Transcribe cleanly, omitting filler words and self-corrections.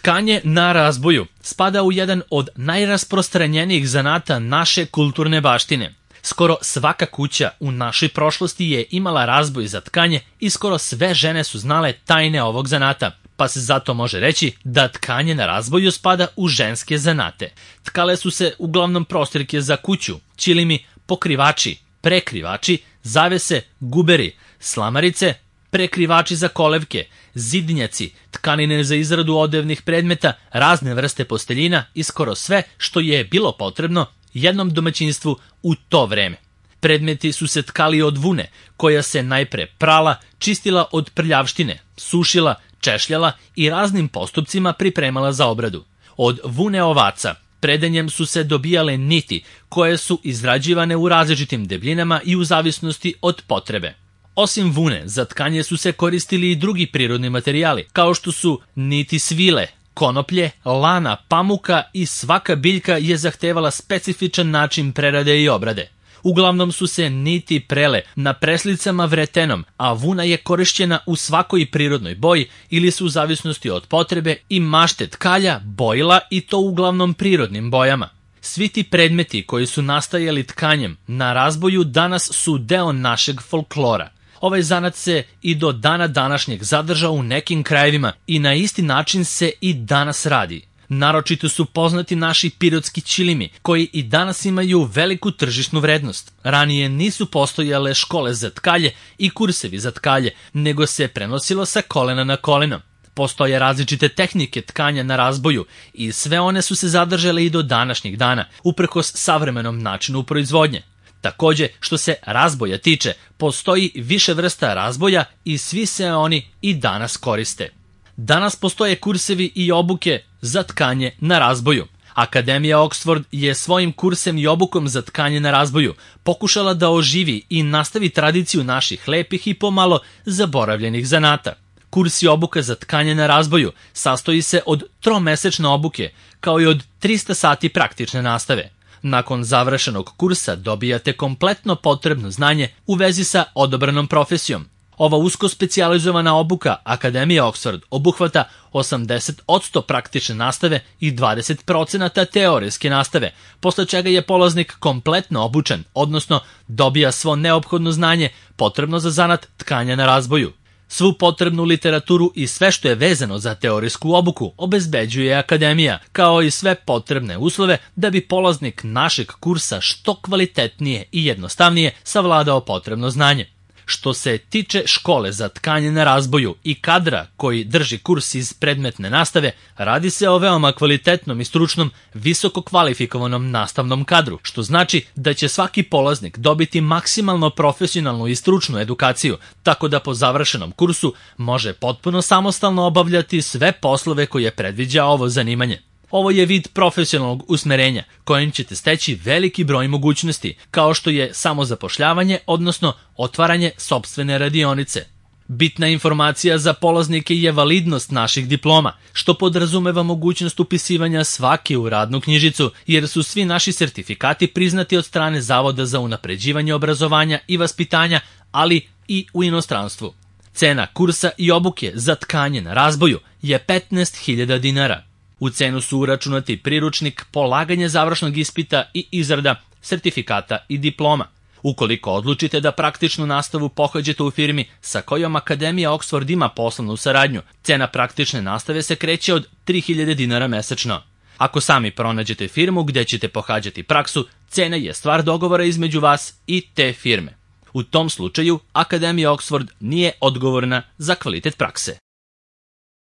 Tkanje na razboju spada u jedan od najrasprostranjenijih zanata naše kulturne baštine. Skoro svaka kuća u našoj prošlosti je imala razboj za tkanje i skoro sve žene su znale tajne ovog zanata, pa se zato može reći da tkanje na razboju spada u ženske zanate. Tkale su se uglavnom prostirke za kuću, ćilimi, pokrivači, prekrivači, zavese, guberi, slamarice, prekrivači za kolevke, zidnjaci, tkanine za izradu odevnih predmeta, razne vrste posteljina i skoro sve što je bilo potrebno jednom domaćinstvu u to vreme. Predmeti su se tkali od vune, koja se najpre prala, čistila od prljavštine, sušila, češljala i raznim postupcima pripremala za obradu. Od vune ovaca predanjem su se dobijale niti, koje su izrađivane u različitim debljinama i u zavisnosti od potrebe. Osim vune, za tkanje su se koristili i drugi prirodni materijali, kao što su niti svile, konoplje, lana, pamuka i svaka biljka je zahtevala specifičan način prerade i obrade. Uglavnom su se niti prele na preslicama vretenom, a vuna je korišćena u svakoj prirodnoj boji ili su u zavisnosti od potrebe i mašte tkalja bojila i to uglavnom prirodnim bojama. Svi ti predmeti koji su nastajali tkanjem na razboju danas su deo našeg folklora. Ovaj zanat se i do dana današnjeg zadržao u nekim krajevima i na isti način se i danas radi. Naročito su poznati naši pirotski ćilimi, koji i danas imaju veliku tržišnu vrednost. Ranije nisu postojale škole za tkalje i kursevi za tkalje, nego se prenosilo sa kolena na koleno. Postoje različite tehnike tkanja na razboju i sve one su se zadržale i do današnjeg dana, uprkos savremenom načinu proizvodnje. Takođe, što se razboja tiče, postoji više vrsta razboja i svi se oni i danas koriste. Danas postoje kursevi i obuke za tkanje na razboju. Akademija Oxford je svojim kursem i obukom za tkanje na razboju pokušala da oživi i nastavi tradiciju naših lepih i pomalo zaboravljenih zanata. Kurs i obuka za tkanje na razboju sastoji se od 3-mesečne obuke, kao i od 300 sati praktične nastave. Nakon završenog kursa dobijate kompletno potrebno znanje u vezi sa odabranom profesijom. Ova usko specijalizovana obuka Akademije Oxford obuhvata 80% praktične nastave i 20% teorijske nastave, posle čega je polaznik kompletno obučen, odnosno dobija svo neophodno znanje potrebno za zanat tkanja na razboju. Svu potrebnu literaturu i sve što je vezano za teorijsku obuku obezbeđuje Akademija, kao i sve potrebne uslove da bi polaznik našeg kursa što kvalitetnije i jednostavnije savladao potrebno znanje. Što se tiče škole za tkanje na razboju i kadra koji drži kurs iz predmetne nastave, radi se o veoma kvalitetnom i stručnom, visoko kvalifikovanom nastavnom kadru, što znači da će svaki polaznik dobiti maksimalno profesionalnu i stručnu edukaciju, tako da po završenom kursu može potpuno samostalno obavljati sve poslove koje predviđa ovo zanimanje. Ovo je vid profesionalnog usmerenja kojim ćete steći veliki broj mogućnosti, kao što je samozapošljavanje, odnosno otvaranje sopstvene radionice. Bitna informacija za polaznike je validnost naših diploma, što podrazumeva mogućnost upisivanja svake u radnu knjižicu, jer su svi naši sertifikati priznati od strane Zavoda za unapređivanje obrazovanja i vaspitanja, ali i u inostranstvu. Cena kursa i obuke za tkanje na razboju je 15.000 dinara. U cenu su uračunati priručnik, polaganje završnog ispita i izrada sertifikata i diploma. Ukoliko odlučite da praktičnu nastavu pohađate u firmi sa kojom Akademija Oxford ima poslovnu saradnju, cena praktične nastave se kreće od 3.000 dinara mesečno. Ako sami pronađete firmu gde ćete pohađati praksu, cena je stvar dogovora između vas i te firme. U tom slučaju Akademija Oxford nije odgovorna za kvalitet prakse.